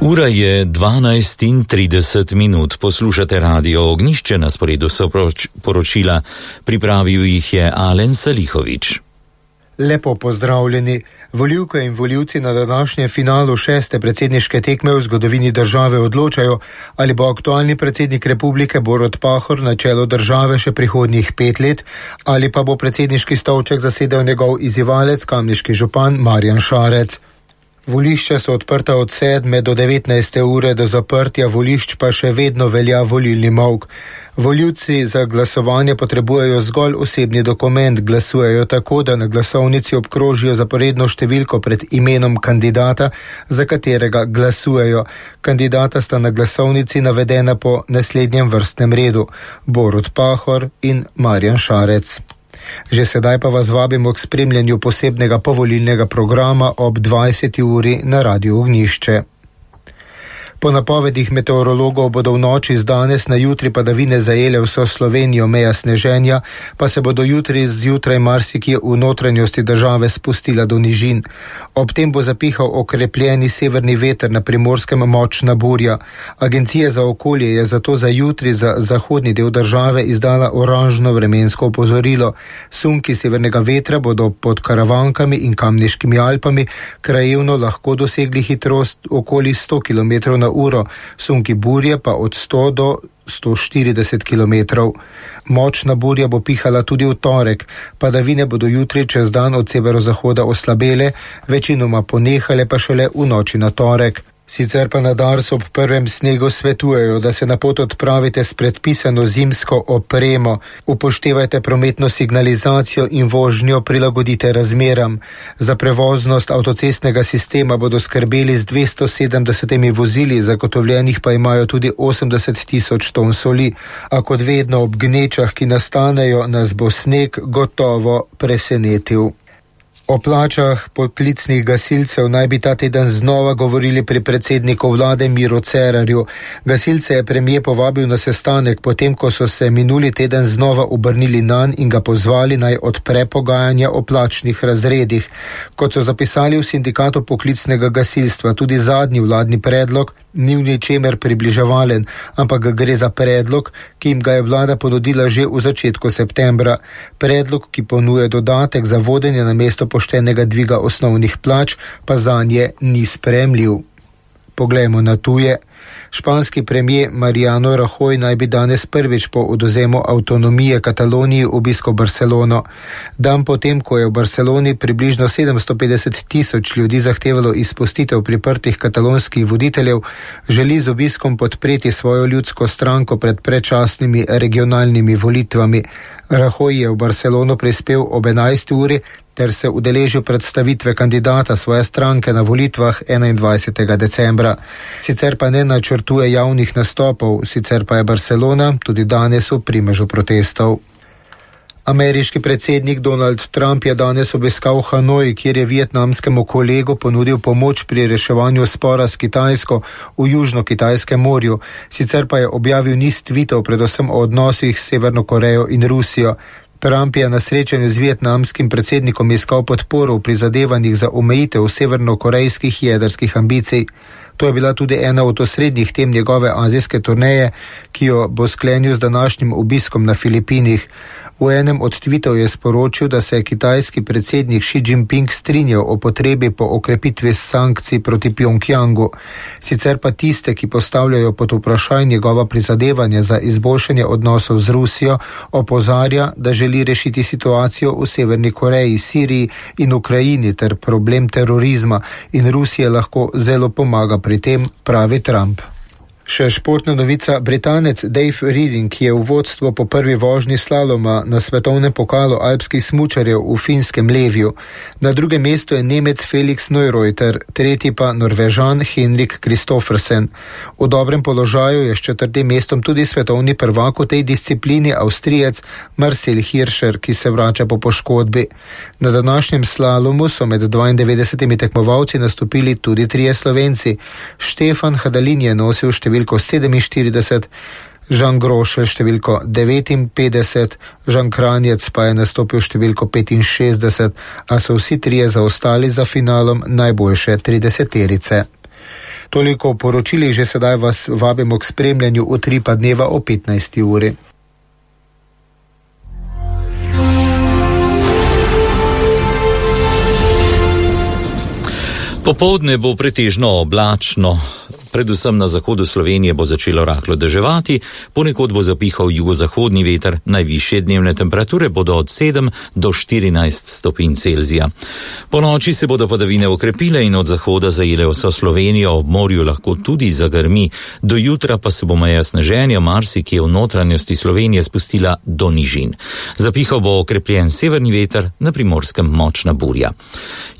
Ura je 12:30, poslušate Radio Ognjišče, na sporedu so poročila, pripravil jih je Alen Salihovič. Lepo pozdravljeni. Volivke in volivci na današnjem finalu 6. predsedniške tekme v zgodovini države odločajo, ali bo aktualni predsednik republike Borut Pahor na čelu države še prihodnjih 5 let, ali pa bo predsedniški stolček zasedel njegov izzivalec, kamniški župan Marjan Šarec. Volišča so odprta od 7. do 19. ure, do zaprtja volišč pa še vedno velja volilni molk. Volivci za glasovanje potrebujejo zgolj osebni dokument, glasujejo tako, da na glasovnici obkrožijo zaporedno številko pred imenom kandidata, za katerega glasujejo. Kandidata sta na glasovnici navedena po naslednjem vrstnem redu: Borut Pahor in Marjan Šarec. Že sedaj pa vas vabimo k spremljanju posebnega povolilnega programa ob 20. uri na Radiu Ognjišče. Po napovedih meteorologov bodo v noči z danes na jutri padavine zajele vso Slovenijo, meja sneženja pa se bodo jutri zjutraj marsikje v notranjosti države spustila do nižin. Ob tem bo zapihal okrepljeni severni veter, na Primorskem močna burja. Agencija za okolje je zato za jutri za zahodni del države izdala oranžno vremensko opozorilo. Sunki severnega vetra bodo pod Karavankami in Kamniškimi Alpami krajevno lahko dosegli hitrost okoli 100 km na uro, sunki burje pa od 100 do 140 km. Močna burja bo pihala tudi v torek. Padavine bodo jutri čez dan od severozahoda oslabele, večinoma ponehale pa šele v noči na torek. Sicer pa na Darsu ob prvem snegu svetujejo, da se na pot odpravite s predpisano zimsko opremo. Upoštevajte prometno signalizacijo in vožnjo prilagodite razmeram. Za prevoznost avtocestnega sistema bodo skrbeli z 270 vozili, zagotovljenih pa imajo tudi 80.000 ton soli. A kot vedno ob gnečah, ki nastanejo, nas bo sneg gotovo presenetil. O plačah poklicnih gasilcev naj bi ta teden znova govorili pri predsedniku vlade Miru Cerarju. Gasilce je premier povabil na sestanek, potem ko so se minuli teden znova obrnili nanj in ga pozvali naj odpre pogajanja o plačnih razredih. Kot so zapisali v sindikatu poklicnega gasilstva, tudi zadnji vladni predlog ni v ničemer približevalen, ampak gre za predlog, ki jim ga je vlada ponudila že v začetku septembra. Predlog, ki ponuja dodatek za vodenje na mesto poštenega dviga osnovnih plač, pa zanje ni sprejemljiv. Poglejmo na tuje. Španski premier Mariano Rajoy naj bi danes prvič po odvzemu avtonomije Kataloniji obiskal Barcelono. Dan potem, ko je v Barceloni približno 750.000 ljudi zahtevalo izpustitev priprtih katalonskih voditeljev, želi z obiskom podpreti svojo ljudsko stranko pred predčasnimi regionalnimi volitvami. Rajoy je v Barcelono prispel ob 11. uri ter se udeležil predstavitve kandidata svoje stranke na volitvah 21. decembra. Sicer pa ne načrtuje javnih nastopov, sicer pa je Barcelona tudi danes v primežu protestov. Ameriški predsednik Donald Trump je danes obiskal Hanoj, kjer je vietnamskemu kolegu ponudil pomoč pri reševanju spora s Kitajsko v Južno-Kitajskem morju. Sicer pa je objavil niz tvitov, predvsem o odnosih s Severno Korejo in Rusijo. Trump je na srečanju z vietnamskim predsednikom iskal podporo v prizadevanjih za omejitev severnokorejskih jedrskih ambicij. To je bila tudi ena od osrednjih tem njegove azijske turneje, ki jo bo sklenil z današnjim obiskom na Filipinih. V enem od tvitov je sporočil, da se je kitajski predsednik Xi Jinping strinjal o potrebi po okrepitvi sankcij proti Pjongjangu. Sicer pa tiste, ki postavljajo pod vprašaj njegova prizadevanja za izboljšanje odnosov z Rusijo, opozarja, da želi rešiti situacijo v Severni Koreji, Siriji in Ukrajini ter problem terorizma in Rusija lahko zelo pomaga pri tem, pravi Trump. Še športna novica. Britanec Dave Reading je v vodstvo po prvi vožnji slaloma na svetovnem pokalu alpskih smučarjev v finskem Levju. Na drugem mestu je Nemec Felix Neureuter, tretji pa Norvežan Henrik Kristoffersen. V dobrem položaju je s 4. mestom tudi svetovni prvak v tej disciplini Avstrijec Marcel Hirscher, ki se vrača po poškodbi. Na današnjem slalomu so med 92 tekmovalci nastopili tudi 3 Slovenci. Štefan Hadalin je nosil številko 47, Žan Grošelj številko 59, Žan Kranjec pa je nastopil številko 65, a so vsi 3 zaostali za finalom najboljše 30-terice. Toliko o poročilih, že sedaj vas vabimo k spremljanju utripa dneva o 15. uri. Popoldne bo pretežno oblačno. Predvsem na zahodu Slovenije bo začelo rahlo deževati, ponekod bo zapihal jugozahodni veter, najvišje dnevne temperature bodo od 7 do 14 stopinj Celzija. Po noči se bodo padavine okrepile in od zahoda zajele vso Slovenijo, ob morju lahko tudi zagrmi. Do jutra pa se bo meja sneženja marsikje v notranjosti Slovenije spustila do nižin. Zapihal bo okrepljen severni veter, na Primorskem močna burja.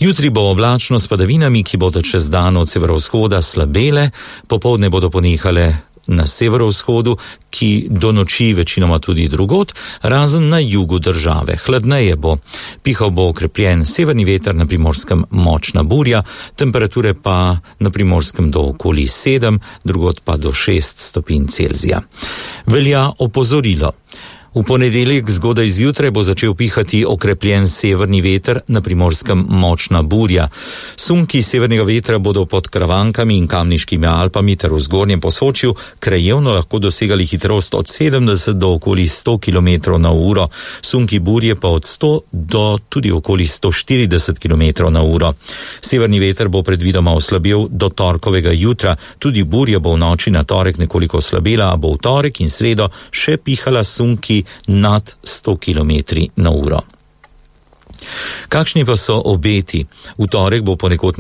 Jutri bo oblačno s padavinami, ki bodo čez dan od severovzhoda slabele. Popoldne bodo ponehale na severovzhodu, ki do noči večinoma tudi drugod, razen na jugu države. Hladneje bo. Pihal bo okrepljen severni veter, na Primorskem močna burja, temperature pa na Primorskem do okoli 7, drugod pa do 6 stopinj Celzija. Velja opozorilo. V ponedeljek zgodaj zjutraj bo začel pihati okrepljen severni veter, na Primorskem močna burja. Sunki severnega vetra bodo pod Kravankami in Kamniškimi Alpami ter v zgornjem Posočju krajevno lahko dosegali hitrost od 70 do okoli 100 km/h, sunki burje pa od 100 do tudi okoli 140 km/h. Severni veter bo predvidoma oslabil do torkovega jutra, tudi burja bo v noči na torek nekoliko oslabela, a bo v torek in sredo še pihala sunki nad 100 km/h. Kakšni pa so obeti? V torek bo ponekod